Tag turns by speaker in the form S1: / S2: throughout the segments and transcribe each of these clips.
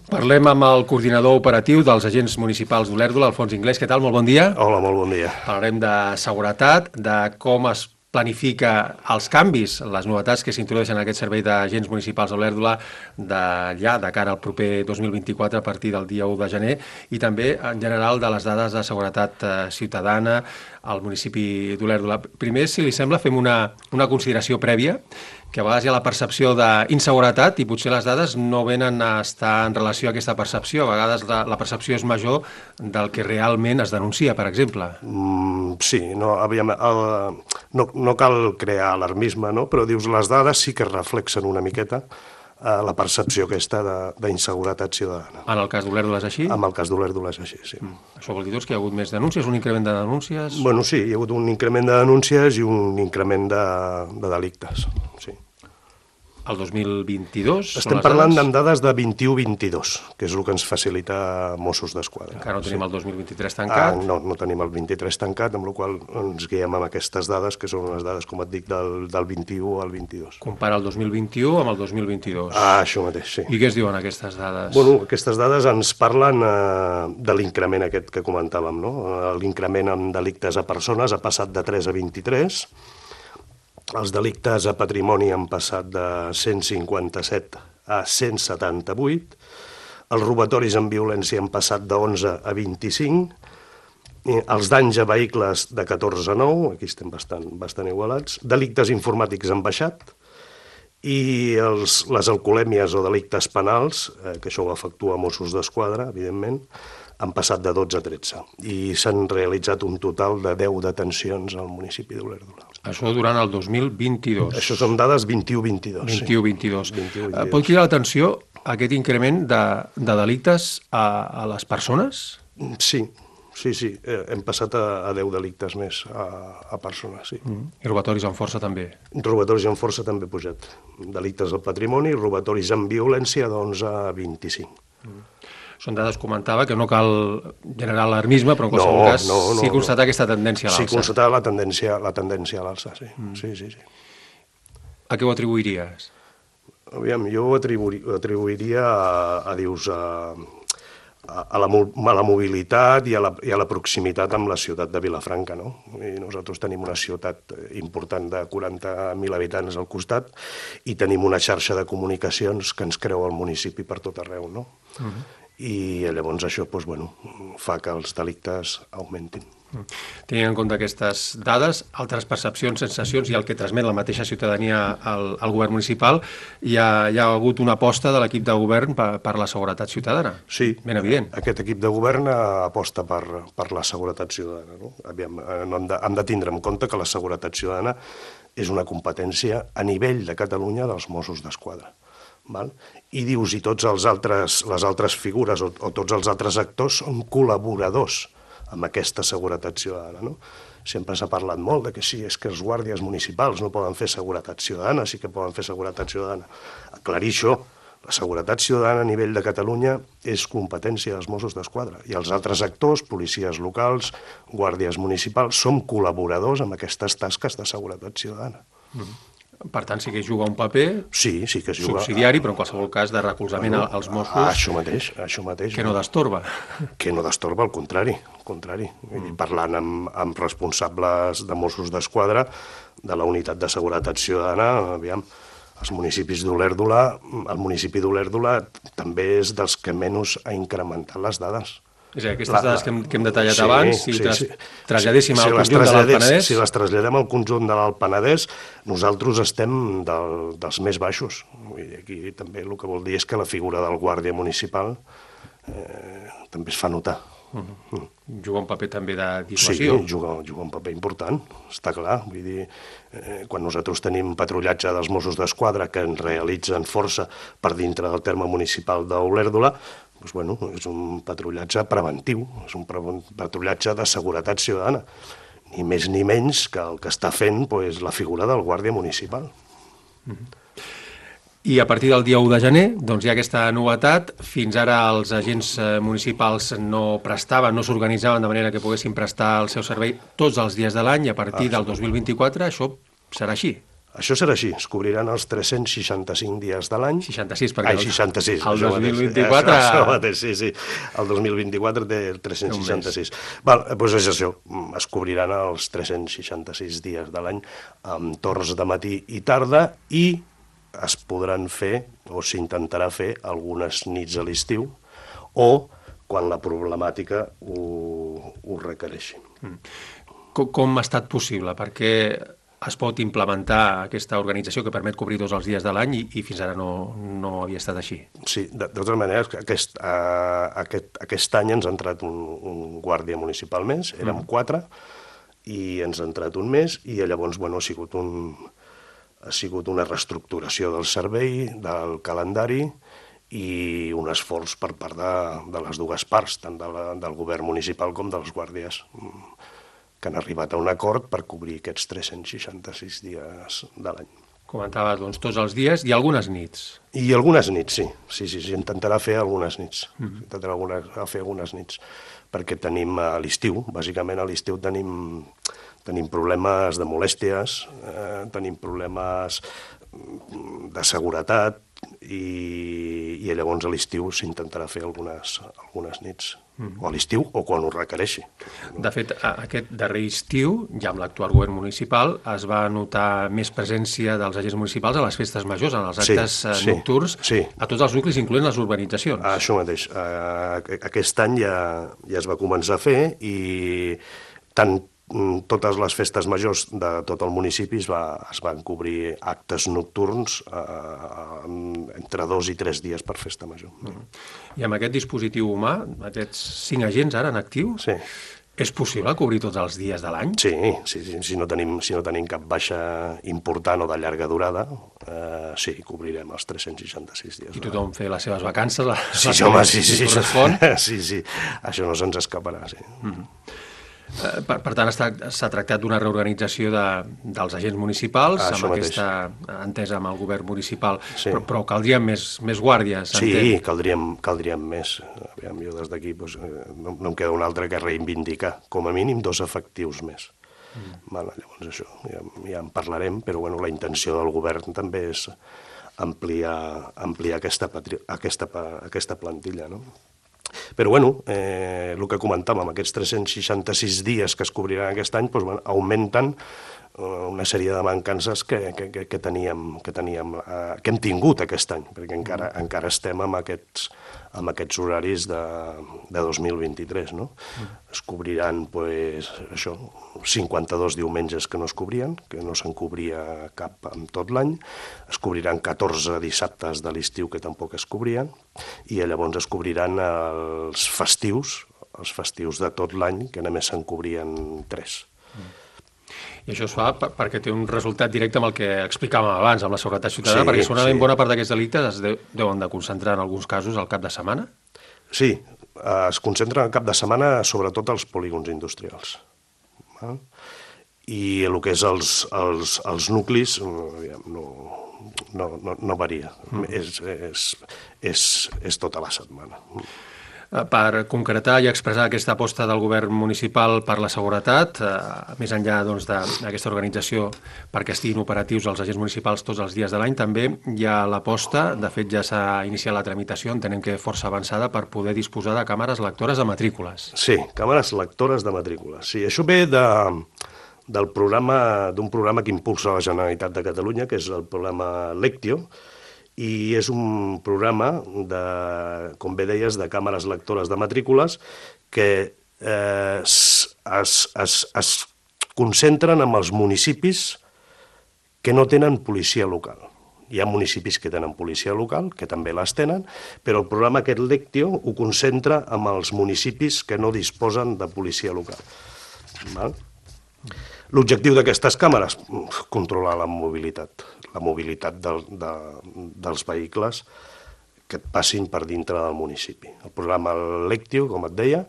S1: Parlem amb el coordinador operatiu dels agents municipals d'Olèrdola, Alfons Inglés. Què tal? Molt bon dia.
S2: Hola, molt bon dia.
S1: Parlarem de seguretat, de com es planifica els canvis, les novetats que s'introdueixen en aquest servei d'agents municipals d'Olèrdola de cara al proper 2024 a partir del dia 1 de gener i també en general de les dades de seguretat ciutadana al municipi d'Olèrdola. Primer, si li sembla, fem una consideració prèvia, que a vegades hi ha la percepció d'inseguretat i potser les dades no venen a estar en relació a aquesta percepció. A vegades la percepció és major del que realment es denuncia, per exemple.
S2: Sí, no cal crear alarmisme, no? Però dius, les dades sí que reflexen una miqueta la percepció aquesta d'inseguretat ciutadana.
S1: En el cas d'Olèrdola és així?
S2: En el cas d'Olèrdola és així, sí.
S1: Això vol dir doncs, que hi ha hagut més denúncies, un increment de denúncies?
S2: Bueno, sí, hi ha hagut un increment de denúncies i un increment de delictes, sí.
S1: El 2022?
S2: Estem parlant amb dades de 21-22, que és el que ens facilita Mossos d'Esquadra.
S1: Encara no tenim el 2023 tancat?
S2: No tenim el 23 tancat, amb la qual ens guiem amb aquestes dades, que són unes dades, com et dic, del 21 al 22.
S1: Compara el 2021 amb el 2022.
S2: Això mateix, sí.
S1: I què es diuen aquestes dades?
S2: Bueno, aquestes dades ens parlen de l'increment aquest que comentàvem, no? L'increment en delictes a persones ha passat de 3 a 23, els delictes a patrimoni han passat de 157 a 178, els robatoris amb violència han passat de 11 a 25, els danys a vehicles de 14 a 9, aquí estem bastant igualats, delictes informàtics han baixat, i les alcoholèmies o delictes penals, que això ho efectua Mossos d'Esquadra, evidentment, han passat de 12 a 13 i s'han realitzat un total de 10 detencions al municipi d'Olèrdola.
S1: Això durant el 2022.
S2: Això són dades 21-22.
S1: 21-22. Pot cridar l'atenció aquest increment de delictes a les persones?
S2: Sí. Hem passat a 10 delictes més a persones, sí.
S1: I robatoris amb força també?
S2: Robatoris amb força també ha pujat. Delictes al patrimoni, robatoris amb violència d'11 a 25.
S1: Són dades, comentava, que no cal generar alarmisme, però en qualsevol cas sí constatar aquesta tendència a l'alça.
S2: Sí, constatar la tendència a l'alça, sí. Sí.
S1: A què ho atribuiries?
S2: Aviam, jo ho atribuiria a la mobilitat i a la proximitat amb la ciutat de Vilafranca, no? I nosaltres tenim una ciutat important de 40.000 habitants al costat i tenim una xarxa de comunicacions que ens creu el municipi per tot arreu, no? I llavors això fa que els delictes augmentin.
S1: Tenint en compte aquestes dades, altres percepcions, sensacions i el que transmet la mateixa ciutadania al govern municipal, hi ha hagut una aposta de l'equip de govern per la seguretat ciutadana.
S2: Sí,
S1: ben evident.
S2: Aquest equip de govern aposta per la seguretat ciutadana. No? Hem de tindre en compte que la seguretat ciutadana és una competència a nivell de Catalunya dels Mossos d'Esquadra. I dius, i totes les altres figures o tots els altres actors són col·laboradors amb aquesta seguretat ciutadana, no? Sempre s'ha parlat molt de que sí, és que els guàrdies municipals no poden fer seguretat ciutadana, sí que poden fer seguretat ciutadana. Aclarir això, la seguretat ciutadana a nivell de Catalunya és competència dels Mossos d'Esquadra i els altres actors, policies locals, guàrdies municipals, som col·laboradors amb aquestes tasques de seguretat ciutadana.
S1: Per tant, sí que juga un paper
S2: sí que es juga
S1: subsidiari, però en qualsevol cas de recolzament als Mossos.
S2: Això mateix.
S1: Que no destorba.
S2: Que no destorba, al contrari. Parlant amb responsables de Mossos d'Esquadra, de la unitat de seguretat ciutadana, aviam, el municipi d'Olèrdola també és dels que menys ha incrementat les dades.
S1: És a dir, aquestes dades que hem detallat abans, si les traslladéssim al conjunt de l'Alt Penedès...
S2: Si les traslladem al conjunt de l'Alt Penedès, nosaltres estem dels més baixos. Aquí també el que vol dir és que la figura del guàrdia municipal també es fa notar.
S1: Juga un paper també de dissuasió.
S2: Sí, juga un paper important, està clar. Vull dir, quan nosaltres tenim patrullatge dels Mossos d'Esquadra que ens realitzen força per dintre del terme municipal d'Olèrdola, és un patrullatge preventiu, és un patrullatge de seguretat ciutadana, ni més ni menys que el que està fent la figura del guàrdia municipal.
S1: I a partir del dia 1 de gener doncs hi ha aquesta novetat. Fins ara els agents municipals no s'organitzaven de manera que poguessin prestar el seu servei tots els dies de l'any i a partir del 2024 això serà així.
S2: Això serà així, es cobriran els 365 dies de l'any.
S1: 66, perquè
S2: 66.
S1: El 2024...
S2: Això mateix, sí. El 2024 té 366. Val, doncs és això, es cobriran els 366 dies de l'any amb torns de matí i tarda i es podran fer, o s'intentarà fer, algunes nits a l'estiu o quan la problemàtica ho requereixi.
S1: Com ha estat possible? Perquè es pot implementar aquesta organització que permet cobrir tots els dies de l'any i fins ara no havia estat així.
S2: Sí, de totes maneres, aquest any ens ha entrat un guàrdia municipal més, érem 4, i ens ha entrat un més, i llavors ha sigut una reestructuració del servei, del calendari, i un esforç per part de les dues parts, tant del govern municipal com dels guàrdies, que han arribat a un acord per cobrir aquests 366 dies de l'any.
S1: Comentaves, doncs, tots els dies i algunes nits.
S2: I algunes nits, sí, intentarà fer algunes nits. Intentarà fer algunes nits, perquè tenim a l'estiu, bàsicament a l'estiu tenim problemes de molèsties, tenim problemes de seguretat, i llavors a l'estiu s'intentarà fer algunes nits, o a l'estiu o quan ho requereixi.
S1: De fet, aquest darrer estiu, ja amb l'actual govern municipal, es va notar més presència dels agents municipals a les festes majors, en els actes nocturns, a tots els nuclis, incloent les urbanitzacions.
S2: Això mateix. Aquest any ja es va començar a fer i tant totes les festes majors de tot el municipi es van cobrir actes nocturns entre 2 i 3 dies per festa major.
S1: I amb aquest dispositiu humà, aquests 5 agents ara en actiu, és possible cobrir tots els dies de l'any?
S2: Sí, si no tenim cap baixa important o de llarga durada, sí, cobrirem els 366 dies.
S1: I tothom fer les seves vacances,
S2: sí, això no se'ns escaparà, sí.
S1: Per tant, s'ha tractat d'una reorganització dels agents municipals, amb aquesta entesa amb el govern municipal, però caldrien més guàrdies.
S2: Sí, caldrien més. Jo des d'aquí no em queda un altre que reivindicar, com a mínim 2 efectius més. Llavors això, ja en parlarem, però la intenció del govern també és ampliar aquesta plantilla, no? Però, el que comentàvem, aquests 366 dies que es cobriran aquest any augmenten una sèrie de mancances que hem tingut aquest any, perquè encara estem amb aquests horaris de 2023, no? Es cobriran, això, 52 diumenges que no es cobrien, que no se'n cobria cap en tot l'any, es cobriran 14 dissabtes de l'estiu que tampoc es cobrien, i llavors es cobriran els festius de tot l'any, que només se'n cobrien 3.
S1: I això es fa perquè té un resultat directe amb el que explicàvem abans, amb la seguretat ciutadana, perquè segurament bona part d'aquests delictes es deuen de concentrar en alguns casos al cap de setmana? Sí,
S2: es concentren al cap de setmana sobretot als polígons industrials. I el que és els nuclis no varia, és tota la setmana.
S1: Per concretar i expressar aquesta aposta del govern municipal per la seguretat, més enllà d'aquesta organització perquè estiguin operatius els agents municipals tots els dies de l'any, també hi ha l'aposta, de fet ja s'ha iniciat la tramitació, entenem que força avançada, per poder disposar de càmeres lectores de matrícules.
S2: Sí, càmeres lectores de matrícules. Sí, això ve d'un programa que impulsa la Generalitat de Catalunya, que és el programa Lectio, i és un programa, com bé deies, de càmeres lectores de matrícules que es concentren en els municipis que no tenen policia local. Hi ha municipis que tenen policia local, que també les tenen, però el programa aquest Lectio ho concentra en els municipis que no disposen de policia local. L'objectiu d'aquestes càmeres, controlar la mobilitat dels vehicles que et passin per dintre del municipi. El programa Lectio, com et deia,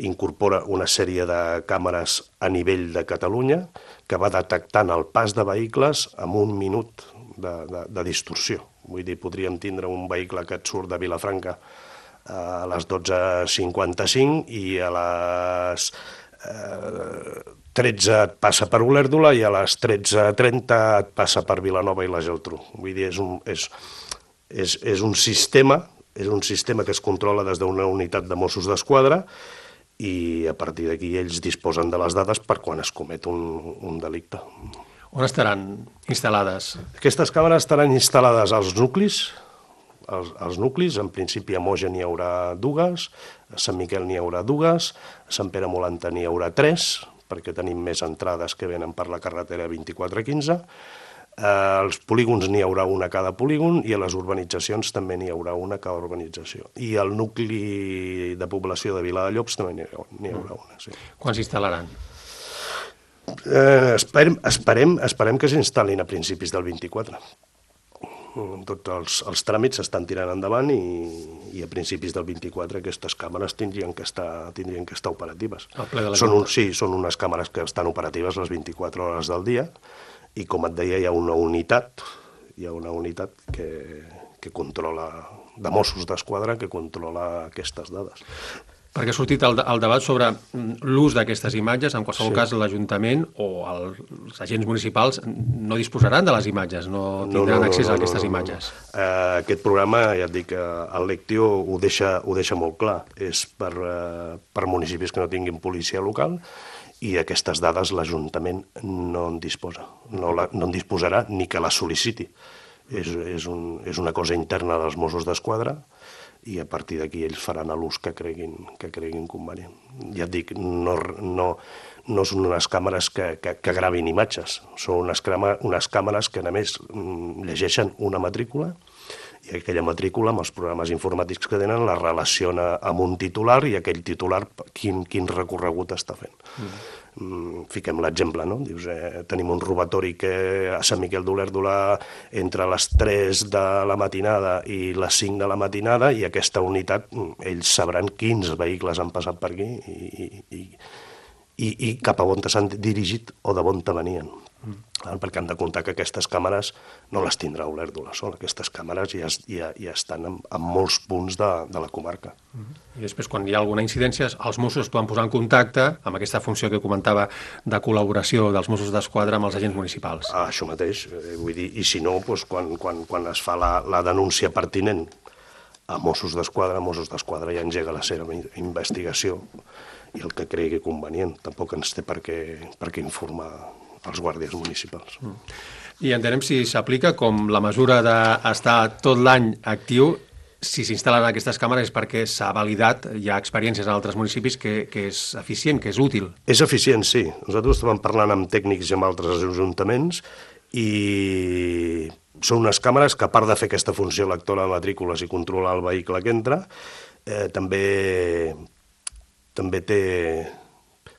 S2: incorpora una sèrie de càmeres a nivell de Catalunya que va detectant el pas de vehicles amb 1 minut de distorsió. Vull dir, podríem tindre un vehicle que et surt de Vilafranca a les 12:55 i a les 13 et passa per Olèrdola i a les 13:30 et passa per Vilanova i la Geltrú. Vull dir, és un sistema que es controla des d'una unitat de Mossos d'Esquadra i a partir d'aquí ells disposen de les dades per quan es comet un delicte.
S1: On estaran instal·lades?
S2: Aquestes càmeres estaran instal·lades als nuclis. Els nuclis, en principi a Moja n'hi haurà dues, a Sant Miquel n'hi haurà dues, a Sant Pere Molanta n'hi haurà 3, perquè tenim més entrades que venen per la carretera 2415. Als polígons n'hi haurà una a cada polígon i a les urbanitzacions també n'hi haurà una a cada urbanització. I al nucli de població de Viladellobs també n'hi haurà una. Sí.
S1: Quan s'instal·laran?
S2: Esperem que s'instal·lin a principis del 24. Tots els tràmits s'estan tirant endavant i a principis del 24 aquestes càmeres tindrien que estar operatives. Són unes càmeres que estan operatives les 24 hores del dia i, com et deia, hi ha una unitat que controla, de Mossos d'Esquadra, que controla aquestes dades.
S1: Perquè ha sortit el debat sobre l'ús d'aquestes imatges. En qualsevol cas, l'Ajuntament o els agents municipals no disposaran de les imatges, no tindran accés a aquestes imatges.
S2: Aquest programa, ja et dic, el Lectio ho deixa molt clar. És per municipis que no tinguin policia local i aquestes dades l'Ajuntament no en disposa. No en disposarà ni que les sol·liciti. És una cosa interna dels Mossos d'Esquadra i a partir d'aquí ells faran l'ús que creguin convenient. Ja et dic, no són unes càmeres que gravin imatges, són unes càmeres que, a més, llegeixen una matrícula i aquella matrícula, amb els programes informàtics que tenen, la relaciona amb un titular i aquell titular quin recorregut està fent. Fiquem l'exemple, no? Dius, tenim un robatori que a Sant Miquel d'Olèrdola entre les 3 de la matinada i les 5 de la matinada i aquesta unitat, ells sabran quins vehicles han passat per aquí i cap a on s'han dirigit o de on venien. Perquè han de comptar que aquestes càmeres no les tindrà Olèrdola sol, aquestes càmeres ja estan en molts punts de la comarca.
S1: I després, quan hi ha alguna incidència, els Mossos es poden posar en contacte amb aquesta funció que comentava de col·laboració dels Mossos d'Esquadra amb els agents municipals.
S2: Això mateix, vull dir, i si no, quan es fa la denúncia pertinent a Mossos d'Esquadra ja engega la seva investigació i el que cregui convenient. Tampoc ens té per què informar els guàrdies municipals.
S1: I entenem si s'aplica com la mesura d'estar tot l'any actiu. Si s'instal·len aquestes càmeres és perquè s'ha validat, hi ha experiències en altres municipis que és eficient, que és útil.
S2: És eficient, sí. Nosaltres estàvem parlant amb tècnics i amb altres ajuntaments i són unes càmeres que, a part de fer aquesta funció lectora de matrícules i controlar el vehicle que entra, també té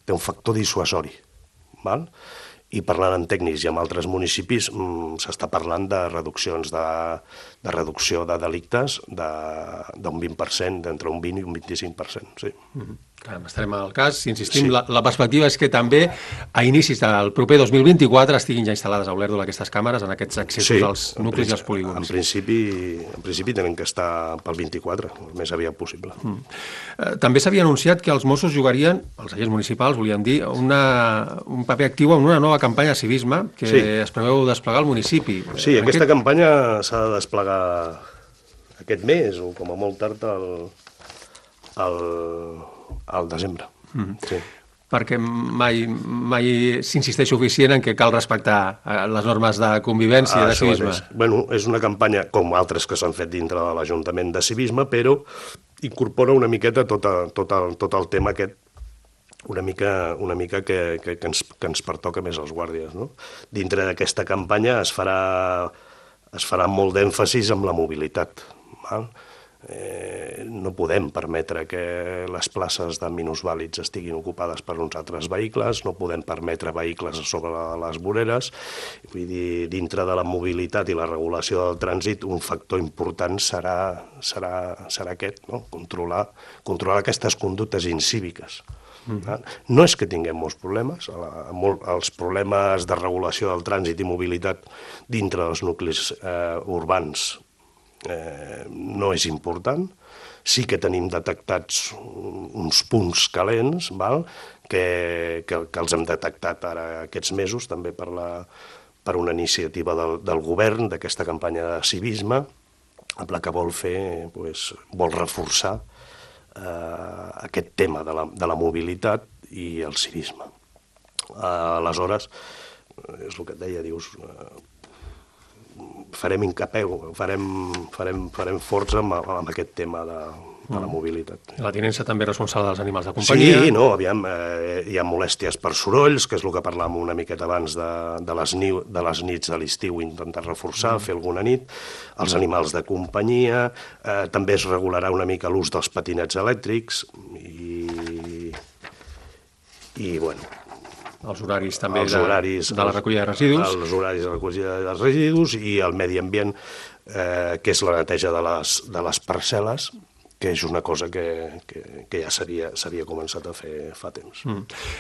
S2: un factor dissuasori, val? I parlant amb tècnics i amb altres municipis s'està parlant de reducció de delictes d'un 20%, d'entre un 20 i un 25%, sí.
S1: Clar, estarem al cas. Si insistim, sí. La perspectiva és que també a inicis del proper 2024 estiguin ja instal·lades a Olèrdola aquestes càmeres en aquests accessos als nuclis i als polígons.
S2: En principi tenen que estar pel 24, el més aviat possible.
S1: També s'havia anunciat que els Mossos jugarien, els agents municipals, volíem dir, un paper actiu en una nova campanya de civisme que es preveu desplegar al municipi.
S2: Sí, aquesta campanya s'ha de desplegar aquest mes o com a molt tard al desembre. Sí.
S1: Perquè mai s'insisteix suficient en que cal respectar les normes de convivència i de civisme.
S2: Bueno, és una campanya, com altres que s'han fet dintre de l'Ajuntament de civisme, però incorpora una miqueta tot el tema aquest, una mica que ens pertoca més als guàrdies, no? Dintre d'aquesta campanya es farà molt d'èmfasis amb la mobilitat, val? No podem permetre que les places de minusvàlids estiguin ocupades per uns altres vehicles, no podem permetre vehicles sobre les voreres. Vull dir, dintre de la mobilitat i la regulació del trànsit, un factor important serà aquest, no? Controlar aquestes conductes incíviques. No és que tinguem molts problemes, els problemes de regulació del trànsit i mobilitat dintre dels nuclis urbans no és important. Sí que tenim detectats uns punts calents, que els hem detectat ara aquests mesos, també per una iniciativa del govern, d'aquesta campanya de civisme, amb la que vol fer, vol reforçar aquest tema de la mobilitat i el civisme. Aleshores, és el que et deia, dius, farem incapeu, farem força amb aquest tema de la mobilitat.
S1: La tinença també responsable dels animals de companyia.
S2: Sí, no, aviam, hi ha molèsties per sorolls, que és el que parlàvem una miqueta abans de les nits de l'estiu, intentar reforçar, fer alguna nit, els animals de companyia, també es regularà una mica l'ús dels patinets elèctrics i bueno,
S1: els horaris també de la recollida de residus.
S2: Els horaris de recollida de residus i el medi ambient, que és la neteja de les parcel·les, que és una cosa que ja s'havia començat a fer fa temps.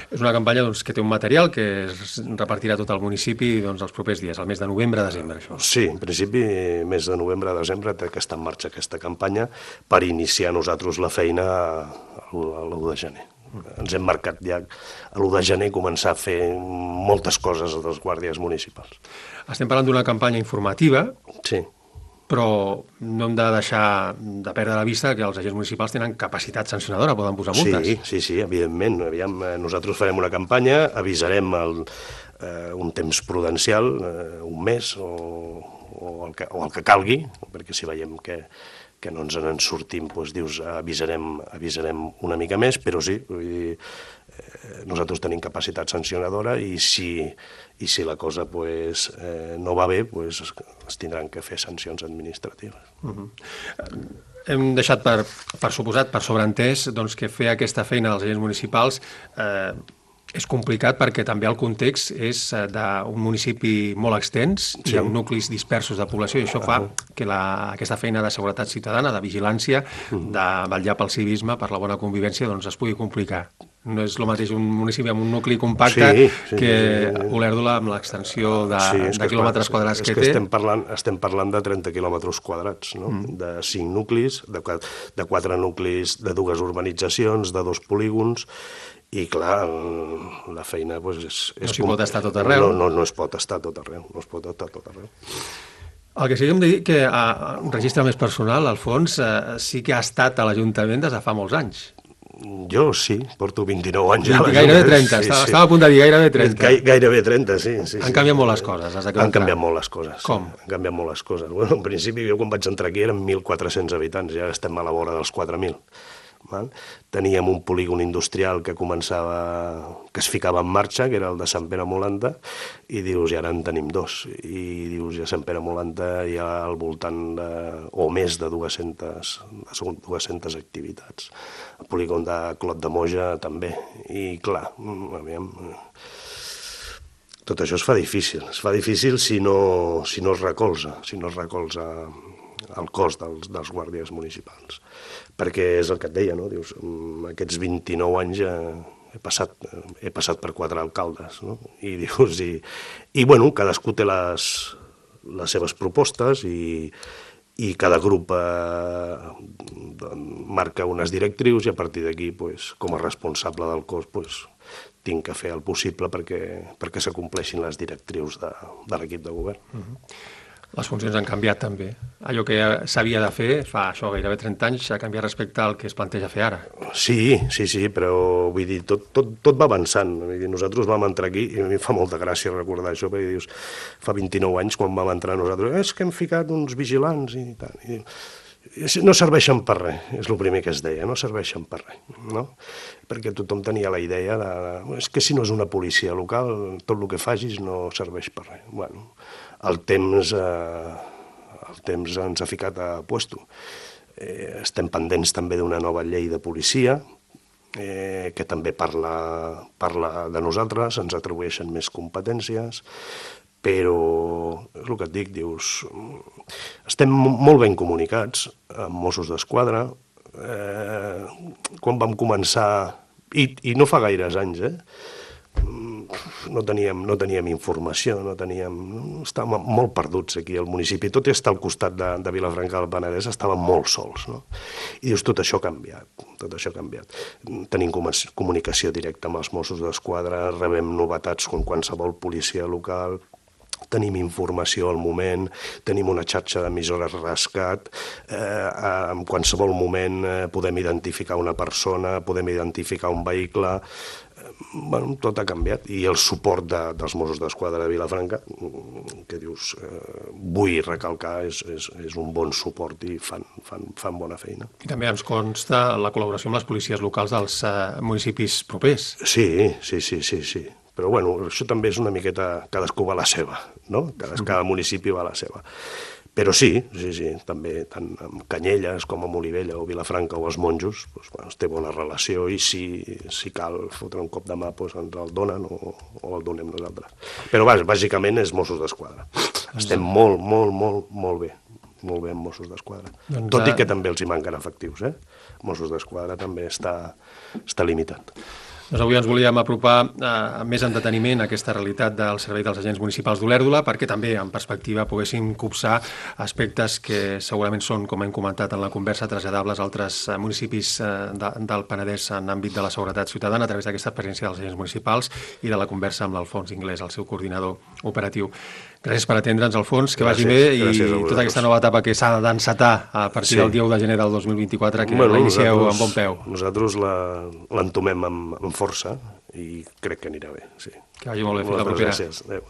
S1: És una campanya que té un material que es repartirà a tot el municipi els propers dies, el mes de novembre-desembre, això.
S2: Sí, en principi, mes de novembre-desembre té que estar en marxa aquesta campanya per iniciar nosaltres la feina l'1 de gener. Ens hem marcat ja a l'1 de gener començar a fer moltes coses dels guàrdies municipals.
S1: Estem parlant d'una campanya informativa,
S2: sí,
S1: però no hem de deixar de perdre la vista que els agents municipals tenen capacitat sancionadora, poden posar multes.
S2: Sí, evidentment. Nosaltres farem una campanya, avisarem un temps prudencial, un mes o el que calgui, perquè si veiem que no ens en sortim, dius, avisarem una mica més, però sí, vull dir, nosaltres tenim capacitat sancionadora i si la cosa no va bé, es tindran que fer sancions administratives.
S1: Hem deixat per suposat, per sobreentès, que fer aquesta feina dels agents municipals és complicat perquè també el context és d'un municipi molt extens i amb nuclis dispersos de població, i això fa que aquesta feina de seguretat ciutadana, de vigilància, de vetllar pel civisme, per la bona convivència, es pugui complicar. No és el mateix un municipi amb un nucli compacte que Olèrdola amb l'extensió de quilòmetres quadrats que té.
S2: Estem parlant de 30 quilòmetres quadrats, de 5 nuclis, de 4 nuclis de 2 urbanitzacions, de 2 polígons, i clar, la feina és...
S1: No s'hi pot estar tot arreu.
S2: No es pot estar tot arreu,
S1: El que sí que hem de dir que un registre més personal, Alfons, sí que ha estat a l'Ajuntament des de fa molts anys.
S2: Jo sí, porto 29 anys a l'Ajuntament.
S1: Gairebé 30, estava a punt de dir gairebé 30.
S2: Gairebé 30, sí.
S1: Han canviat molt les coses.
S2: Han canviat molt les coses.
S1: Com?
S2: Han canviat molt les coses. Bueno, en principi, jo quan vaig entrar aquí eren 1.400 habitants, ja estem a la vora dels 4.000. Teníem un polígon industrial que es ficava en marxa, que era el de Sant Pere Molanta, i dius, i ara en tenim 2. I dius, a Sant Pere Molanta hi ha al voltant o més de 200 activitats. El polígon de Clot de Moja també. I clar, aviam, tot això es fa difícil si no es recolza el cos dels guàrdies municipals. Perquè és el que et deia, no? Dius, aquests 29 anys he passat per 4 alcaldes, no? I dius, bueno, cadascú té les seves propostes i cada grup marca unes directrius i a partir d'aquí, com a responsable del cos, tinc que fer el possible perquè s'acompleixin les directrius de l'equip de govern.
S1: Les funcions han canviat també. Allò que s'havia de fer fa gairebé 30 anys ha canviat respecte al que es planteja fer ara.
S2: Sí, però vull dir, tot va avançant. Nosaltres vam entrar aquí, i a mi fa molta gràcia recordar això, perquè dius, fa 29 anys quan vam entrar nosaltres, és que hem ficat uns vigilants i tal. No serveixen per res, és el primer que es deia, no serveixen per res, no? Perquè tothom tenia la idea és que si no és una policia local, tot el que facis no serveix per res. Bueno, el temps ens ha ficat a puesto. Estem pendents també d'una nova llei de policia, que també parla de nosaltres, ens atribueixen més competències, però és el que et dic, dius, estem molt ben comunicats amb Mossos d'Esquadra. Quan vam començar, i no fa gaires anys, no teníem informació, estàvem molt perduts aquí al municipi. Tot i estar al costat de Vilafranca del Penedès, estàvem molt sols, no? I dius, tot això ha canviat. Tenim comunicació directa amb els Mossos d'Esquadra, rebem novetats com qualsevol policia local, tenim informació al moment, tenim una xarxa d'emissores rescat, en qualsevol moment podem identificar una persona, podem identificar un vehicle, tot ha canviat. I el suport dels Mossos d'Esquadra de Vilafranca, que dius, vull recalcar, és un bon suport i fan bona feina.
S1: I també ens consta la col·laboració amb les policies locals dels municipis propers.
S2: Sí. Però bueno, això també és una miqueta, cadascú va a la seva, no? Cada municipi va a la seva. Però sí, també tant amb Canyelles com amb Olivella o Vilafranca o els Monjos, es té bona relació i si cal fotre un cop de mà ens el donen o el donem nosaltres. Però bàsicament és Mossos d'Esquadra. Estem molt bé amb Mossos d'Esquadra. Tot i que també els hi manquen efectius, Mossos d'Esquadra també està limitat.
S1: Doncs avui ens volíem apropar més en deteniment a aquesta realitat del servei dels agents municipals d'Olèrdola perquè també, en perspectiva, poguéssim copsar aspectes que segurament són, com hem comentat en la conversa, traslladables a altres municipis del Penedès en l'àmbit de la seguretat ciutadana a través d'aquesta presència dels agents municipals i de la conversa amb l'Alfons Inglés, el seu coordinador operatiu. Gràcies per atendre'ns, Alfons, que vagi bé i tota aquesta nova etapa que s'ha d'encetar a partir del 10 de gener del 2024, que la inicieu amb bon peu.
S2: Nosaltres l'entomem amb força i crec que anirà bé.
S1: Que vagi molt bé, fins la propera.
S2: Gràcies. Adéu.